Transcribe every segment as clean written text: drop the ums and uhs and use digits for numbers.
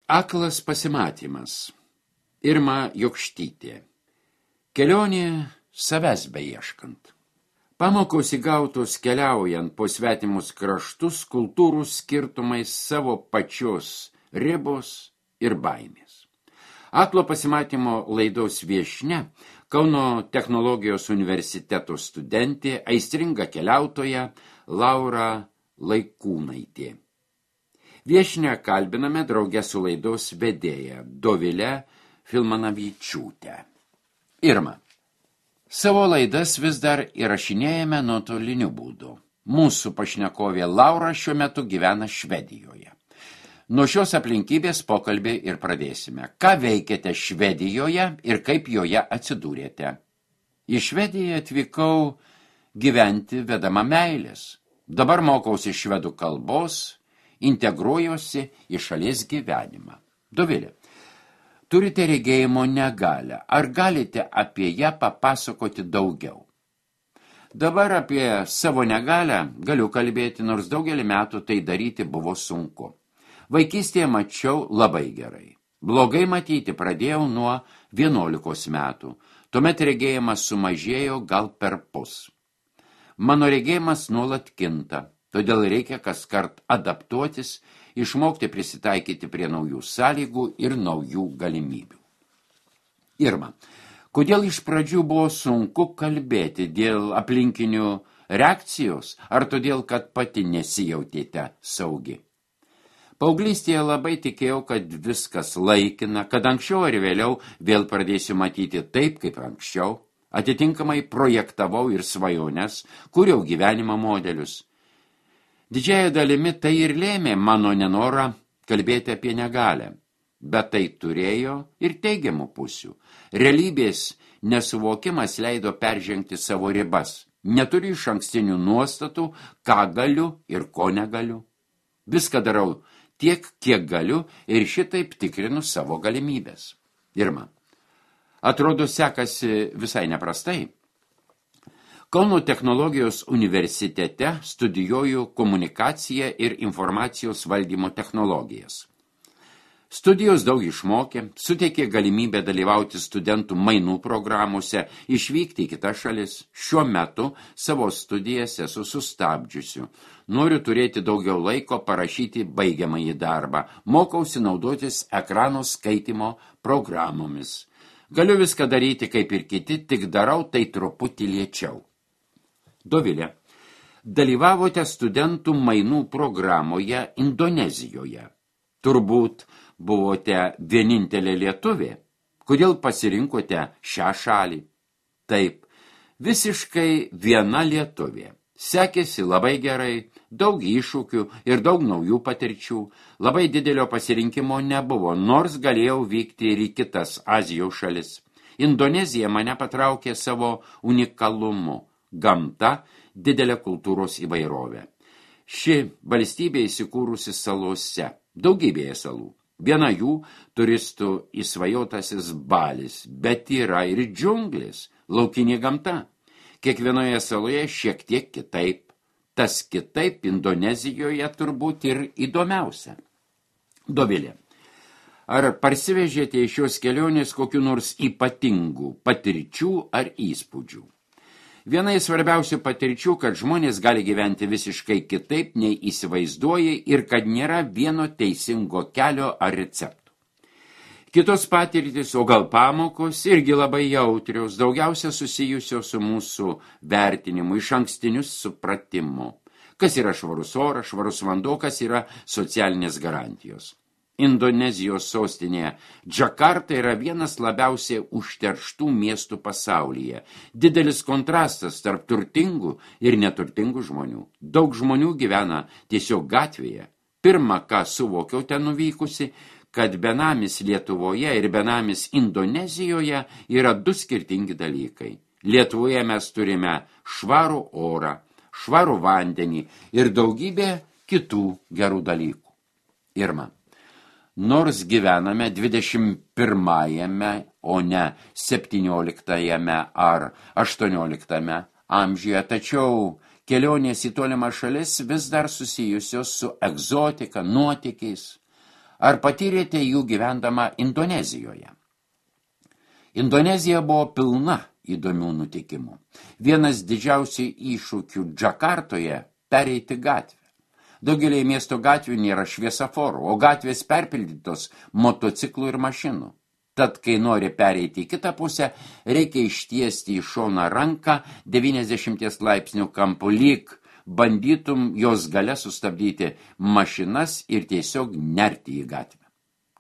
Aklas pasimatymas. Irma Jokštytė. Kelionė savęs beieškant. Pamokos įgautos keliaujant po svetimus kraštus, kultūrų skirtumais, savo pačios ribos ir baimės. Aklo pasimatymo laidos viešnia, Kauno technologijos universiteto studentė, aistringa keliautoja Laura Laikūnaitė. Viešnią kalbiname drauge su laidos vedėja Dovilė Filmanavičiūtė. Irma. Savo laidas vis dar įrašinėjame nuotoliniu būdu. Mūsų pašnekovė Laura šiuo metu gyvena Švedijoje. Nuo šios aplinkybės pokalbį ir pradėsime. Ką veikiate Švedijoje ir kaip joje atsidūrėte? Į Švediją atvykau gyventi vedama meilės. Dabar mokausi švedų kalbos, integruojuosi į šalies gyvenimą. Dovilė, turite regėjimo negalią. Ar galite apie ją papasakoti daugiau? Dabar apie savo negalią galiu kalbėti, nors daugelį metų tai daryti buvo sunku. Vaikystėje mačiau labai gerai. Blogai matyti pradėjau nuo 11 metų. Tuomet regėjimas sumažėjo gal perpus. Mano regėjimas nuolat kinta, todėl reikia kaskart adaptuotis, išmokti prisitaikyti prie naujų sąlygų ir naujų galimybių. Irma, kodėl iš pradžių buvo sunku kalbėti dėl aplinkinių reakcijos, ar todėl, kad pati nesijautėte saugi? Paauglystėje labai tikėjau, kad viskas laikina, kad anksčiau ar vėliau vėl pradėsiu matyti taip, kaip anksčiau. Atitinkamai projektavau ir svajones, kūriau gyvenimo modelius. Didžiąja dalimi tai ir lėmė mano nenorą kalbėti apie negalią, bet tai turėjo ir teigiamų pusių. Realybės nesuvokimas leido peržengti savo ribas. Neturiu išankstinių nuostatų, ką galiu ir ko negaliu. Viską darau tiek, kiek galiu ir šitaip tikrinu savo galimybės. Irma, atrodo sekasi visai neprastai. Kauno technologijos universitete studijuoju komunikaciją ir informacijos valdymo technologijas. Studijos daug išmokė, suteikė galimybę dalyvauti studentų mainų programuose, išvykti į kitas šalis. Šiuo metu savo studijas esu sustabdžiusiu. Noriu turėti daugiau laiko parašyti baigiamąjį darbą. Mokausi naudotis ekrano skaitymo programomis. Galiu viską daryti kaip ir kiti, tik darau tai truputį lėčiau. Dovilė, dalyvavote studentų mainų programoje Indonezijoje. Turbūt buvote vienintelė lietuvė. Kodėl pasirinkote šią šalį? Taip, visiškai viena lietuvė. Sekėsi labai gerai, daug iššūkių ir daug naujų patirčių. Labai didelio pasirinkimo nebuvo, nors galėjau vykti ir į kitas Azijos šalis. Indonezija mane patraukė savo unikalumu. Gamta, didelė kultūros įvairovė. Ši valstybė įsikūrusi salose, daugybėje salų. Viena jų turistų įsvajotasis Balis, bet yra ir džiunglės, laukinė gamta. Kiekvienoje saloje šiek tiek kitaip. Tas kitaip Indonezijoje turbūt ir įdomiausia. Dovilė, ar parsivežėte iš šios kelionės kokių nors ypatingų patirčių ar įspūdžių? Viena iš svarbiausių patirčių, kad žmonės gali gyventi visiškai kitaip nei įsivaizduoja ir kad nėra vieno teisingo kelio ar receptų. Kitos patirtys, o gal pamokos, irgi labai jautrios, daugiausia susijusios su mūsų vertinimu, išankstiniu supratimu. Kas yra švarus oras, švarus vanduo, kas yra socialinės garantijos. Indonezijos sostinėje Džakarta yra vienas labiausiai užterštų miestų pasaulyje. Didelis kontrastas tarp turtingų ir neturtingų žmonių. Daug žmonių gyvena tiesiog gatvėje. Pirma, ką suvokiau ten nuvykusi, kad benamis Lietuvoje ir benamis Indonezijoje yra du skirtingi dalykai. Lietuvoje mes turime švarų orą, švarų vandenį ir daugybę kitų gerų dalykų. Irma. Nors gyvename 21-ame, o ne 17-ame ar 18-ame amžiuje, tačiau kelionės į tolimą šalis vis dar susijusios su egzotika, nuotykiais. Ar patyrėte jų gyvendama Indonezijoje? Indonezija buvo pilna įdomių nutikimų. Vienas didžiausių iššūkių Džakartoje – pereiti gatvę. Daugelį miesto gatvių nėra šviesaforų, o gatvės perpildytos motociklų ir mašinų. Tad, kai nori pereiti į kitą pusę, reikia ištiesti į šoną ranką 90 laipsnių kampu, lyg bandytum jos gale sustabdyti mašinas ir tiesiog nerti į gatvę.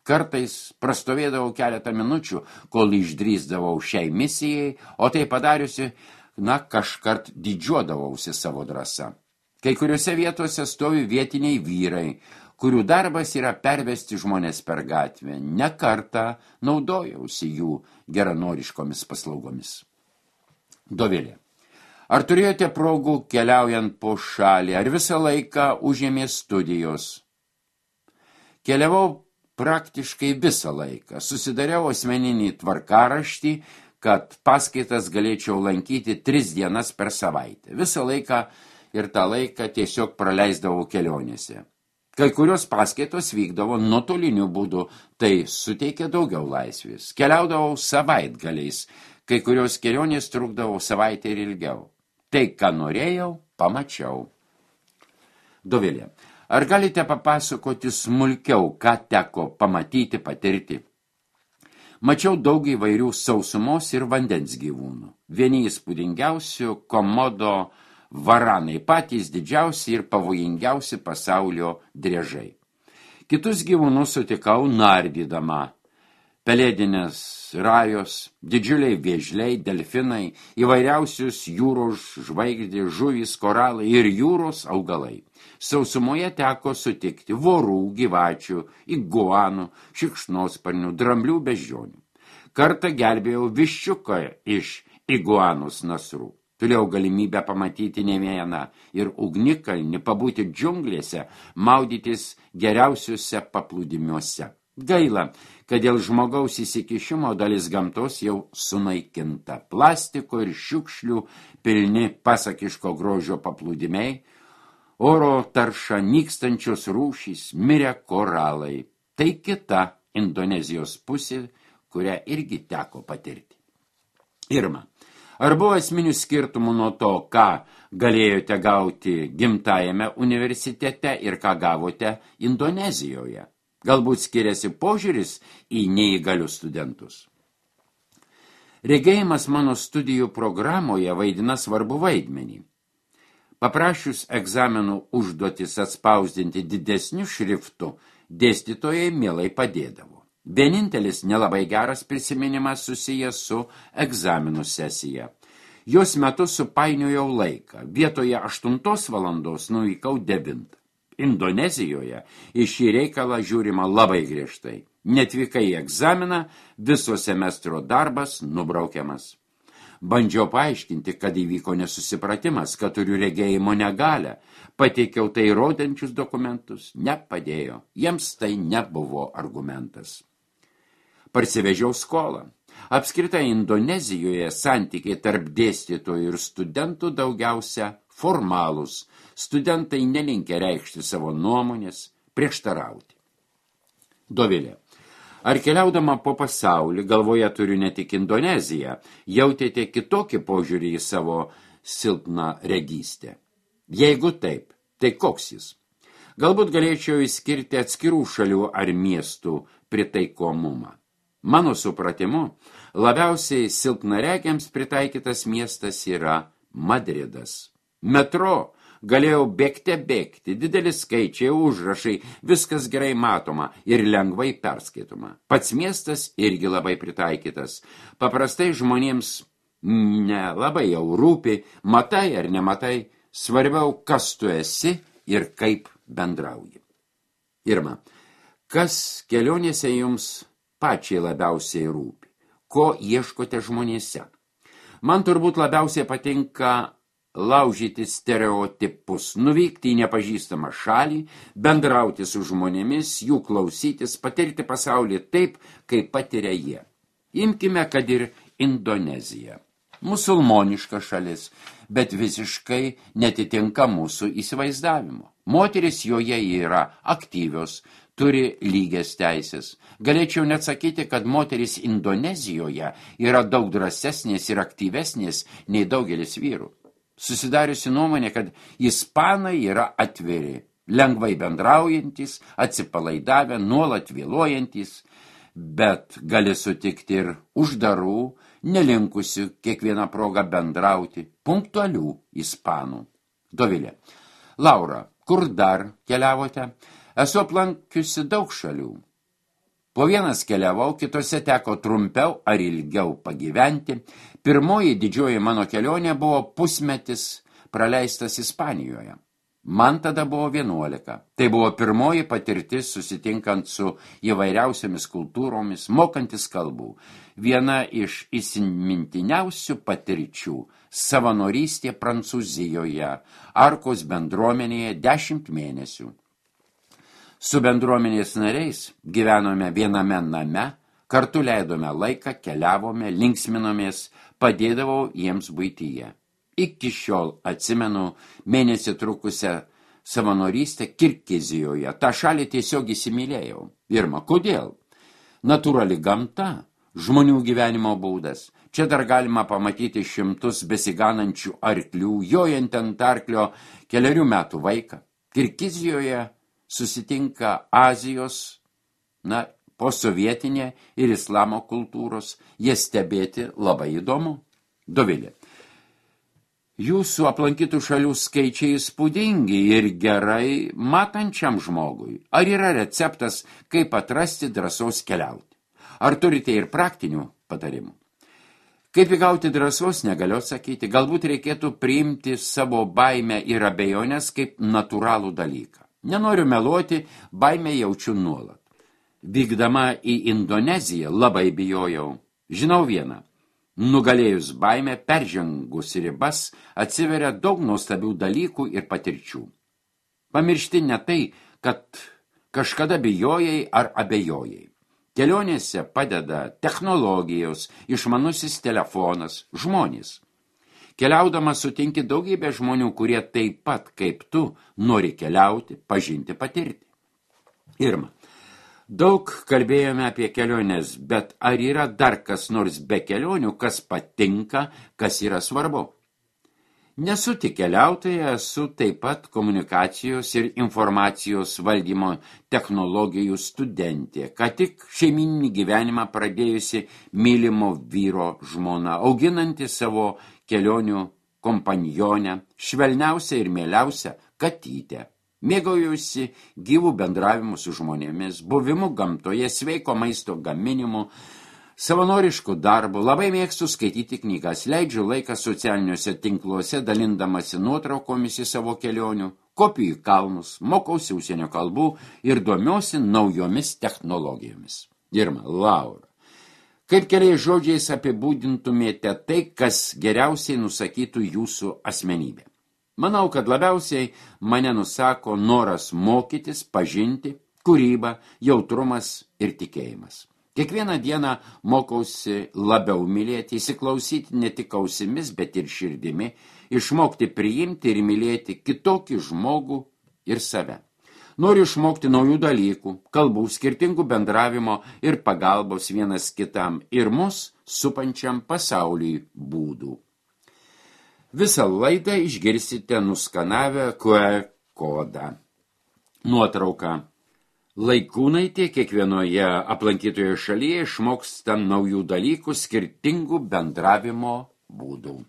Kartais prastovėdavau keletą minučių, kol išdrįsdavau šiai misijai, o tai padariusi, kažkart didžiuodavausi savo drąsa. Kai kuriuose vietose stovi vietiniai vyrai, kurių darbas yra pervesti žmonės per gatvę. Ne kartą naudojausi jų geranoriškomis paslaugomis. Dovilė. Ar turėjote progų keliaujant po šalį, ar visą laiką užėmė studijos? Keliavau praktiškai visą laiką. Susidariau asmeninį tvarkaraštį, kad paskaitas galėčiau lankyti 3 dienas per savaitę. Visą laiką ir tą laiką tiesiog praleisdavau kelionėse. Kai kurios paskaitos vykdavo nuotoliniu būdu, tai suteikė daugiau laisvės. Keliaudavau savaitgaliais, kai kurios kelionės trukdavo savaitę ir ilgiau. Tai, ką norėjau, pamačiau. Dovilė, ar galite papasakoti smulkiau, ką teko pamatyti, patirti? Mačiau daug įvairių sausumos ir vandens gyvūnų. Vieni įspūdingiausių komodo varanai, patys didžiausi ir pavojingiausi pasaulio driežai. Kitus gyvūnus sutikau nardydama. Pelėdinės rajos, didžiuliai vėžliai, delfinai, įvairiausius jūros žvaigždės, žuvys, koralai ir jūros augalai. Sausumoje teko sutikti vorų, gyvačių, iguanų, šikšnosparnių, dramblių, beždžionių. Kartą gelbėjau viščiuką iš iguanos nasrų. Turėjau galimybę pamatyti ne vieną ir ugnikalnį, pabūti džiunglėse, maudytis geriausiuose paplūdimiuose. Gaila, kad dėl žmogaus įsikišimo dalis gamtos jau sunaikinta. Plastiko ir šiukšlių pilni pasakiško grožio paplūdimiai, oro tarša, nykstančios rūšys, mirę koralai. Tai kita Indonezijos pusė, kurią irgi teko patirti. Irma. Ar buvo esminių skirtumų nuo to, ką galėjote gauti gimtajame universitete ir ką gavote Indonezijoje? Galbūt skiriasi požiūris į neįgalius studentus? Regėjimas mano studijų programoje vaidina svarbu vaidmenį. Paprašius egzaminų užduotis atspausdinti didesniu šriftu, dėstytojai mielai padėdavo. Vienintelis nelabai geras prisiminimas susijęs su egzaminų sesija. Jos metu supainiojau laiką. Vietoje 8 valandos nuvykau 9. Indonezijoje į šį reikalą žiūrima labai griežtai. Netvykai į egzaminą, viso semestro darbas nubraukiamas. Bandžiau paaiškinti, kad įvyko nesusipratimas, kad turiu regėjimo negalią. Pateikiau tai rodančius dokumentus. Nepadėjo. Jiems tai nebuvo argumentas. Parsivežiau skolą. Apskritai Indonezijoje santykiai tarp dėstytojų ir studentų daugiausia formalūs. Studentai nelinkę reikšti savo nuomonės, prieštarauti. Dovilė. Ar keliaudama po pasaulį, galvoje turiu ne tik Indoneziją, jautėte kitokį požiūrį į savo silpną regystę? Jeigu taip, tai koks jis? Galbūt galėčiau išskirti atskirų šalių ar miestų pritaikomumą. Mano supratimu, labiausiai silpnaregiams pritaikytas miestas yra Madridas. Metro galėjau bėgti, didelis skaičiai, užrašai, viskas gerai matoma ir lengvai perskaitoma. Pats miestas irgi labai pritaikytas. Paprastai žmonėms nelabai jau rūpi, matai ar nematai, svarbiau, kas tu esi ir kaip bendrauji. Irma, kas kelionėse jums pačiai labiausiai rūpi? Ko ieškote žmonėse? Man turbūt labiausiai patinka laužyti stereotipus, nuvykti į nepažįstamą šalį, bendrauti su žmonėmis, jų klausytis, patirti pasaulį taip, kaip patiria jie. Imkime, kad ir Indoneziją. Musulmoniška šalis, bet visiškai netitinka mūsų įsivaizdavimo. Moteris joje yra aktyvios, turi lygias teisės. Galėčiau net sakyti, kad moterys Indonezijoje yra daug drąsesnės ir aktyvesnės nei daugelis vyrų. Susidariusi nuomonė, kad ispanai yra atviri, lengvai bendraujantys, atsipalaidavę, nuolat vėluojantys, bet gali sutikti ir uždarų, nelinkusių kiekvieną progą bendrauti, punktualių ispanų. Dovilė. Laura, kur dar keliavote? Esu aplankiusi daug šalių. Po vienas keliavau, kitose teko trumpiau ar ilgiau pagyventi. Pirmoji didžioji mano kelionė buvo pusmetis praleistas Ispanijoje. Man tada buvo 11. Tai buvo pirmoji patirtis susitinkant su įvairiausiamis kultūromis, mokantis kalbų. Viena iš įsimintiniausių patirčių – savanorystė Prancūzijoje, Arkos bendruomenėje 10 mėnesių. Su bendruomenės nariais gyvenome viename name, kartu leidome laiką, keliavome, linksminomės, padėdavau jiems buityje. Iki šiol atsimenu mėnesį trukusią savanorystę Kirgizijoje. Ta šalį tiesiog įsimylėjau. Irma, kodėl? Natūrali gamta, žmonių gyvenimo būdas. Čia dar galima pamatyti šimtus besiganančių arklių, jojant ant arklio 4 metų vaiką. Kirgizijoje susitinka Azijos, posovietinė ir islamo kultūros, jie stebėti labai įdomu. Dovilė. Jūsų aplankytų šalių skaičiai įspūdingi ir gerai matančiam žmogui. Ar yra receptas, kaip atrasti drąsos keliauti? Ar turite ir praktinių patarimų? Kaip įgauti drąsos, negaliu atsakyti. Galbūt reikėtų priimti savo baimę ir abejonės kaip natūralų dalyką. Nenoriu meluoti, baimę jaučiu nuolat. Vykdama į Indoneziją labai bijojau. Žinau vieną. Nugalėjus baimę, peržengus ribas, atsiveria daug nuostabių dalykų ir patirčių. Pamiršti ne tai, kad kažkada bijojai ar abejojai. Kelionėse padeda technologijos, išmanusis telefonas, žmonės. Keliaudamas sutinki daugybę žmonių, kurie taip pat kaip tu nori keliauti, pažinti, patirti. Irma, daug kalbėjome apie keliones, bet ar yra dar kas nors be kelionių, kas patinka, kas yra svarbu? Nesu tik keliautoja, esu taip pat komunikacijos ir informacijos valdymo technologijų studentė, ką tik šeimyninį gyvenimą pradėjusi mylimo vyro žmona, auginanti savo kelionių kompanionę, švelniausią ir mieliausią katytę. Mėgaujusi gyvų bendravimų su žmonėmis, buvimu gamtoje, sveiko maisto gaminimu, savanoriškų darbų, labai mėgstu skaityti knygas, leidžiu laiką socialiniuose tinkluose, dalindamasi nuotraukomis į savo kelionių, kopiu į kalnus, mokausi užsienio kalbų ir domiuosi naujomis technologijomis. Irma, Laura. Kaip keliais žodžiais apibūdintumėte tai, kas geriausiai nusakytų jūsų asmenybę? Manau, kad labiausiai mane nusako noras mokytis, pažinti, kūryba, jautrumas ir tikėjimas. Kiekvieną dieną mokausi labiau mylėti, įsiklausyti ne tik ausimis, bet ir širdimi, išmokti priimti ir mylėti kitokį žmogų ir save. Noriu išmokti naujų dalykų, kalbų, skirtingų bendravimo ir pagalbos vienas kitam ir mus supančiam pasauliui būdų. Visą laidą išgirsite nuskanavę QR kodą. Nuotrauka. Laikūnaitė kiekvienoje aplankytoje šalyje išmoksta naujų dalykų, skirtingų bendravimo būdų.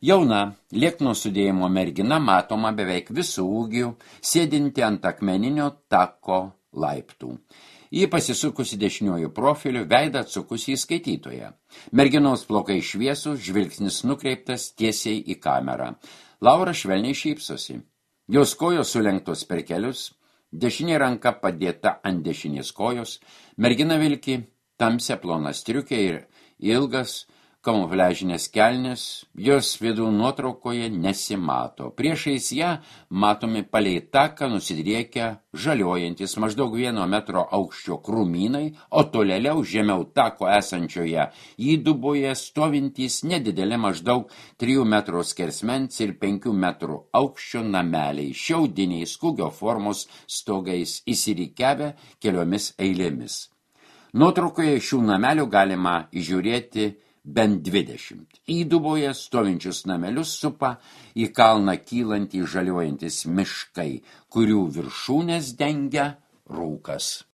Jauna, liekno sudėjimo mergina matoma beveik visų ūgių, sėdinti ant akmeninio tako laiptų. Ji pasisukusi dešiniuoju profiliu, veidą atsukusi į skaitytoją. Merginos plaukai šviesūs, žvilgsnis nukreiptas tiesiai į kamerą. Laura švelniai šypsosi. Jos kojos sulenktos per kelius, dešinė ranka padėta ant dešinės kojos, mergina vilki tamsią ploną striukę ir ilgas, kamufliažinės kelnės, jos vidų nuotraukoje nesimato. Priešais ją matomi palei taką nusidriekę žaliojantis maždaug 1 metro aukščio krūmynai, o tolėliau žemiau tako esančioje įduboje stovintys nedideli maždaug 3 metrų skersmens ir 5 metrų aukščio nameliai, šiaudiniais kūgio formos stogais įsirikiavę keliomis eilėmis. Nuotraukoje šių namelių galima įžiūrėti bent 20. Įduboje stovinčius namelius supa į kalną kylantį žaliuojantis miškai, kurių viršūnės dengia rūkas.